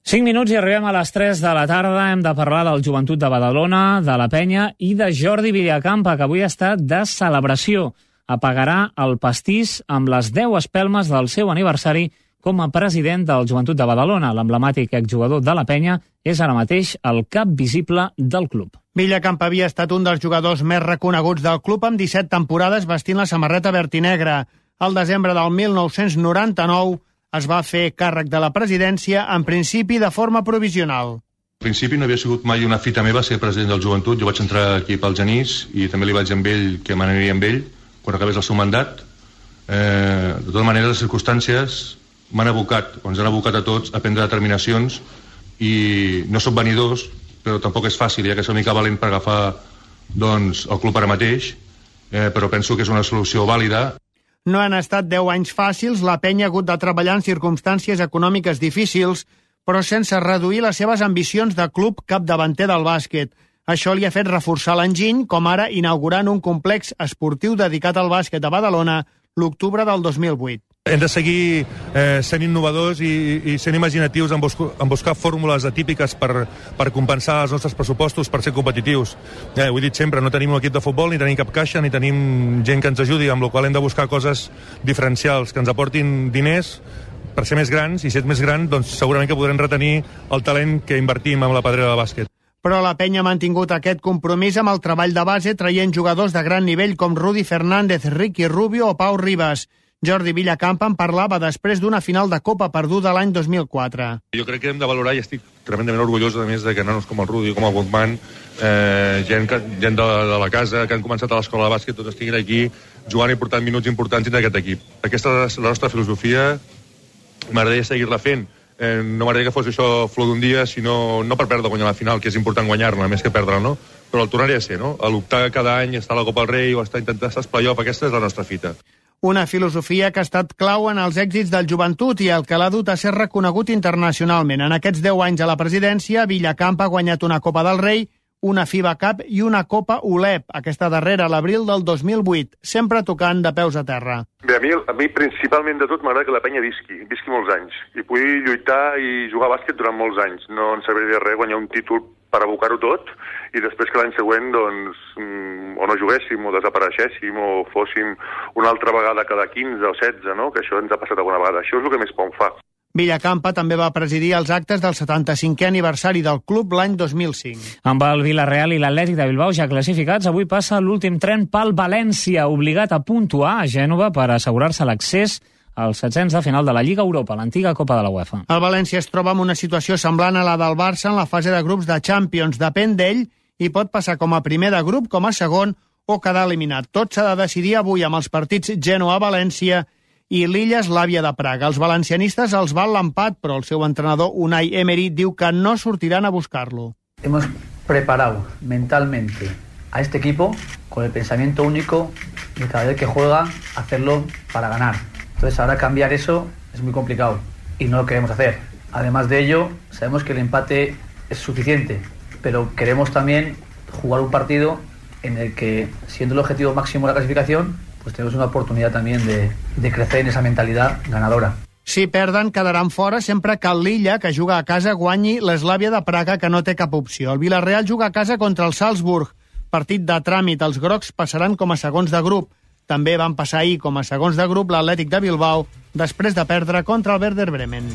5 minuts i arribem a les 3 de la tarda. Hem de parlar del Joventut de Badalona, de la Penya i de Jordi Villacampa, que avui està de celebració. Apagarà el pastís amb les 10 espelmes del seu aniversari com a president del Joventut de Badalona. L'emblemàtic exjugador de la Penya és ara mateix el cap visible del club. Villacampa havia estat un dels jugadors més reconeguts del club amb 17 temporades vestint la samarreta verd i negra. Al desembre del 1999 es va fer càrrec de la presidència, en principi de forma provisional. Al principi no havia sigut mai una fita meva ser president del Joventut. Jo vaig entrar aquí pel Genís i també li vaig dir amb ell que m'aniria amb ell quan acabés el seu mandat. De totes maneres, les circumstàncies m'han abocat, o ens han abocat a tots, a prendre determinacions i no som venidors, però tampoc és fàcil, ja que és una mica valent per agafar el club ara mateix, però penso que és una solució vàlida. No han estat 10 anys fàcils, la Penya ha hagut de treballar en circumstàncies econòmiques difícils, però sense reduir les seves ambicions de club capdavanter del bàsquet. Això li ha fet reforçar l'enginy, com ara inaugurant un complex esportiu dedicat al bàsquet a Badalona l'octubre del 2008. Hem de seguir sent innovadors i sent imaginatius en buscar fórmules atípiques per compensar els nostres pressupostos, per ser competitius. Ho he dit sempre, no tenim un equip de futbol, ni tenim cap caixa, ni tenim gent que ens ajudi, amb la qual hem de buscar coses diferencials, que ens aportin diners per ser més grans, i si ets més gran, doncs segurament que podrem retenir el talent que invertim en la pedrera de bàsquet. Però la Penya ha mantingut aquest compromís amb el treball de base, traient jugadors de gran nivell com Rudy Fernández, Ricky Rubio o Pau Ribas. Jordi Villacampa en parlava després d'una final de Copa perduda l'any 2004. Jo crec que hem de valorar, i estic tremendament orgullós, a més, de que nanos com el Rudy, com el Guzmán, gent de la casa, que han començat a l'escola de bàsquet, tots estiguin aquí jugant i portant minuts importants dins d'aquest equip. Aquesta és la nostra filosofia, m'agradaria seguir-la fent. No m'agradaria que fos això flor d'un dia, sinó no per perdre o guanyar la final, que és important guanyar-la, més que perdre-la, no? Però el tornaré a ser, no? A l'optar cada any, estar a la Copa del Rei o intentar estar als play-off, aquesta és la nostra fita. Una filosofia que ha estat clau en els èxits del Joventut i el que l'ha dut a ser reconegut internacionalment. En aquests 10 anys a la presidència, Villacampa ha guanyat una Copa del Rei, una FIBA Cup i una Copa ULEP, aquesta darrera a l'abril del 2008, sempre tocant de peus a terra. Bé, a mi principalment de tot m'agrada que la Penya visqui molts anys, i pugui lluitar i jugar a bàsquet durant molts anys. No ens serviria de res guanyar un títol per abocar-ho tot, i després que l'any següent, doncs, o no juguéssim, o desapareixéssim, o fóssim una altra vegada cada 15 o 16, no? Que això ens ha passat alguna vegada. Això és el que més por em fa. Villacampa també va presidir els actes del 75è aniversari del club l'any 2005. Amb el Villarreal i l'Atlètic de Bilbao ja classificats, avui passa l'últim tren pel València, obligat a puntuar a Gènova per assegurar-se l'accés als setzents de final de la Lliga Europa, l'antiga Copa de la UEFA. El València es troba en una situació semblant a la del Barça en la fase de grups de Champions. Depèn d'ell i pot passar com a primer de grup, com a segon o quedar eliminat. Tot s'ha de decidir avui amb els partits Genoa-València i l'Illa-Eslàvia de Praga. Els valencianistes els val l'empat, però el seu entrenador Unai Emery diu que no sortiran a buscar-lo. Hemos preparado mentalmente a este equipo con el pensamiento único de cada vez que juega hacerlo para ganar. Entonces ahora cambiar eso es muy complicado y no lo queremos hacer. Además de ello, sabemos que el empate es suficiente, pero queremos también jugar un partido en el que, siendo el objetivo máximo la clasificación, pues tenemos una oportunidad también de crecer en esa mentalidad ganadora. Si perden, quedaran fora sempre que l'Illa, que juga a casa, guanyi l'Eslàvia de Praga, que no té cap opció. El Villarreal juga a casa contra el Salzburg. Partit de tràmit. Els grocs passaran com a segons de grup. També van passar ahir com a segons de grup l'Atlètic de Bilbao després de perdre contra el Werder Bremen.